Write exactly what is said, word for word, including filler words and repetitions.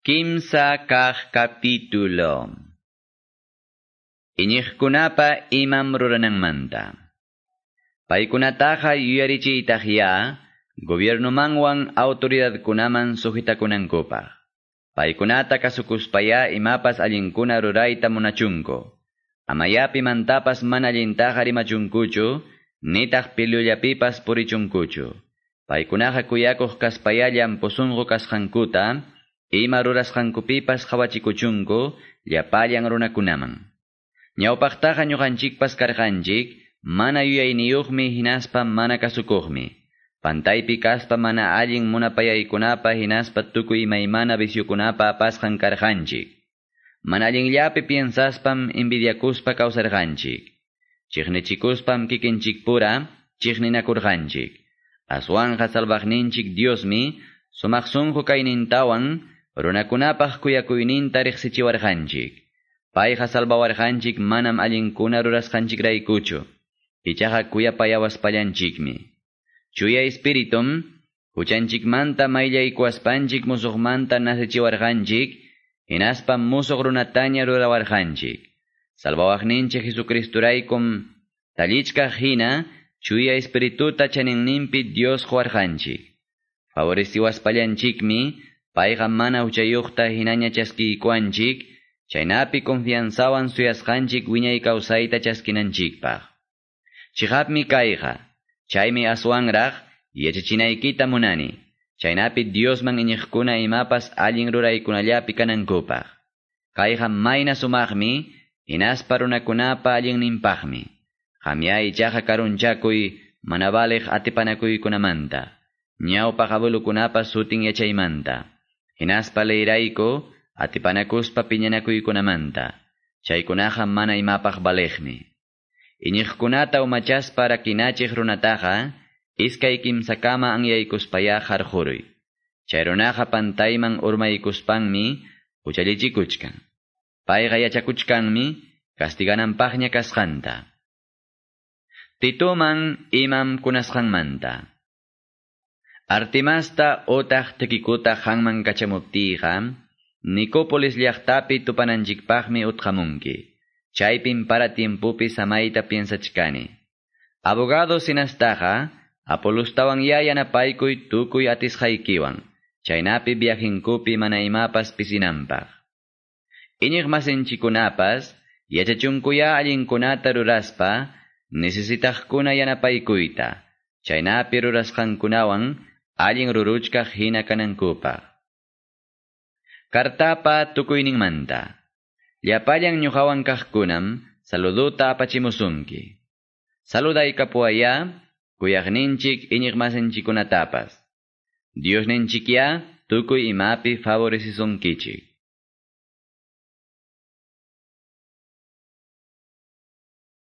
Kimsa kaq capítulo. Iñiqkunapa imam rurananmanta. Paykunataqa yuyarichiytaqya gobiernomanwan autoridadkunaman sujetakunankupaq. Paykunata kasukuspaya imapas allinkuna rurayta munachunku. Amaya pimantapas mana allintaqa rimachunkuchu, nitaq pilullapipas purichunkuchu. Paykunaqa kuyakuq kaspaya llampu sunqu kasqankuta, ima rurasqankupipas qhawachikuchunku llapallan runakunaman. Ñawpaqtaqa ñuqanchikpas karqanchik, mana yuyayniyuqmi hinaspa mana kasukuqmi. Pantaypi kaspa mana allin munapayaykunapa hinaspa tukuy imaymana viciokunapa apasqan karqanchik. Mana allinllapi piensaspam envidiakuspa kawsarqanchik. Chiqnichikuspam kikinchikpura chiqninakurqanchik. Aswanqa salvaqninchik Diosmi sumaq sunqu kaynintawan runakunapaq kuyakuyninta riqsichiwarqanchik. Payqa salvawarqanchik manam allinkuna rurasqanchikraykuchu. Ichaqa kuyapayawaspallanchikmi. Chuya espiritum huchanchikmanta mayllaykuwaspanchik musuqmanta nacechiwarqanchik, hinaspa musuq runataña rurawarqanchik. Salvawaqninchik Jesucristuraykum tallichkaq hina chuya espirituta chaninninpi Dios quwarqanchik. Favoreciwaspallanchikmi payqa mana huchayuqta hinaña chaskiykuwanchik, chaynapi confianzawan suyasqanchik wiñay kawsayta chaskinanchikpaq. Chiqapmi kayqa, chaymi aswanraq yachachinaykita munani, chaynapi Diosman iñiqkuna imapas allin ruraykunallapi kanankupaq. Kayqa mayna sumaqmi, hinaspa runakunapa allinninpaqmi. Qamya ichaqa karunchakuy mana valiq atipanakuykunamanta, ñawpaq abuelokunapa sutin yachaymanta. Hinaspa leyrayku atipanakuspa piñanakuykunamanta, chaykunaqa mana imapaq valiqmi. Iñiqkunata umachaspa rakinachiq runataqa, iskay kimsakama anyaykuspaya qarquruy. Chay runaqa pantayman urmaykuspanmi huchallichikuchkan. Payqa yachakuchkanmi castigananpaqña kasqanta. Titoman imam kunasqanmanta. Artemasta otaq Tíquicota qamman kachamuptiyqa, Nicópolis llaqtapi tupananchikpaqmi utqamunki. Chaypim para tiempopi samayta piensachkani. Abogado Zenastaqa, Apolustawan ya yanapaykuy tukuy atisqaykiwan, chaynapi viajenkupi mana imapas pisinanpaq. Iñiq masinchikunapas, yachachunkuya allinkunata ruraspa, necesitaqkuna yanapaykuyta, chaynapi rurasqankunawan allin ruruchkaq hina kanankupaq. Kartapa tukuyninmanta. Llapallan ñuqawan kaqkunam saluduta apachimusunki. Saludaykapuwaya kuyaqninchik iñiqmasinchikkunatapas. Diosninchikya tukuy imapi favorecisunkichik.